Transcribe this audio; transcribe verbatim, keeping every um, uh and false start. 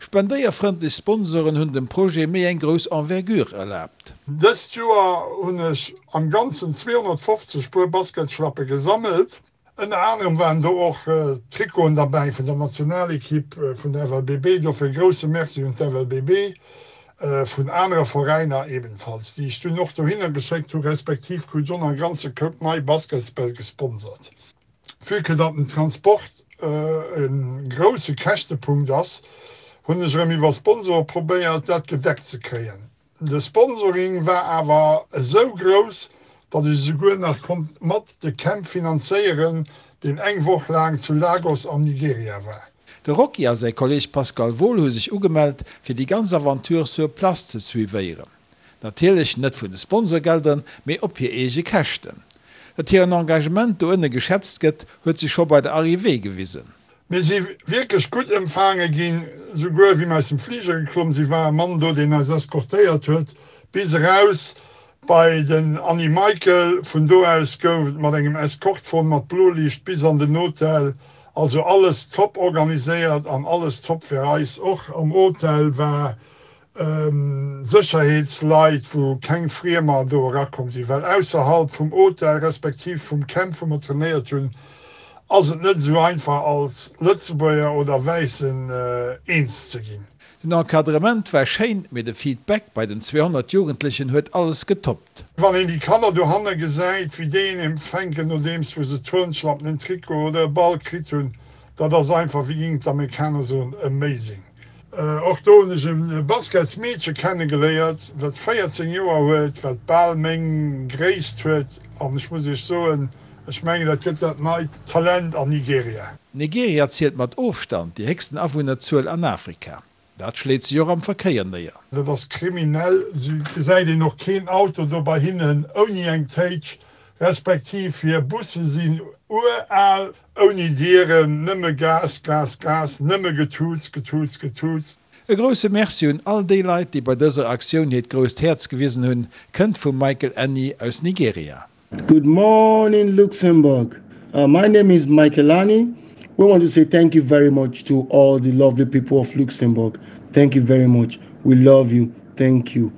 Spendéierfrëndlech Sponsoren hunn dem Projet méi eng grouss Envergure erlaabt. Dëst Joer hunn ech am Ganzen zweehonnertfofzeg Puer Basketschlappe gesammelt. Ënner anerem waren do och Trikoten derbäi vun der Nationalekipp vun der F L B B. Dofir e grousse Merci un d'F L B B, vun anere Veräiner ebenfalls, déi ech dunn och dohinner geschéckt hu respektiv krut ech och nach e ganze Koup nei Basketsbäll gesponsert. Vue que datt den Transport e grousse Käschtepunkt ass, hunn ech erëm iwwer Sponsore probéiert, dat gedeckt ze kréien. De Sponsoring war awer esou grouss, datt ech esouguer nach konnt mat de Camp finanzéieren, deen eng Woch laang zu Lagos am Nigeria war. De Rocky a säi Kolleeg Pascal Wohl hu sech ugemellt, fir déi ganz Aventure sur place ze suivéieren. Natierlech net vun de Sponsorgeldern, mee op hir eege Käschten. Datt hiren Engagement do ënne geschätzt gëtt, huet sech scho bei der Arrivée gewisen. Mir si wierklech gutt empfaange ginn, souguer wéi mir aus dem Fliger geklomm sinn, war e Mann do, deen eis eskortéiert huet bis eraus bei den Annie Michael. Vun do aus gouf et mat engem Eskortwon mat Bloliicht bis an den Hotel. Also alles top organiséiert an alles top fir eis. Och am Hotel war Sécherheetsleit, wou keng Friemer do erakomm sinn, well ausserhalb vum Hotel respektiv vum Camp, wou mer trainéiert hunn, ass et net esou einfach als Lëtzebuerger oder Wäissen eens ze ginn. Den Encadrement war schéin, mee de Feedback bei den zweehonnert Jugendlechen huet alles getoppt. Wann een déi Kanner dohanne gesäit, wéi déi een empfänken, nodeems wou se Turnschlappen, en Trikot oder e Ball kritt hunn, dat ass einfach, wéi géingen d'Amerikaner soen, amazing. Och do hunn ech e Basketsmeedche kennegeléiert, wat véierzéng Joer huet, wat bal meng Gréisst huet an ech muss iech soen, ech mengen dat gëtt dat neit Talent an Nigeria. Nigeria zielt mat Ofstand déi héchsten Awunnerzuel an Afrika. Dat schléit sech och am Verkéier néier. Dat ass kriminell, sou gesäit een och keen Auto do bei hinnen ouni eng Téitsch, respektiv hir Busse sinn ural, ouni Dieren, nëmme Gas, Gas, Gas, nëmme Getuuts, Getuuts, Getuuts. E grousse Merci un all déi Leit, déi bei dëser Aktioun hiert grousst Häerz gewisen hunn, kënnt vum Michael Annie aus Nigeria. Good morning, Luxembourg. Uh, my name is Michael Annie. We want to say thank you very much to all the lovely people of Luxembourg. Thank you very much. We love you. Thank you.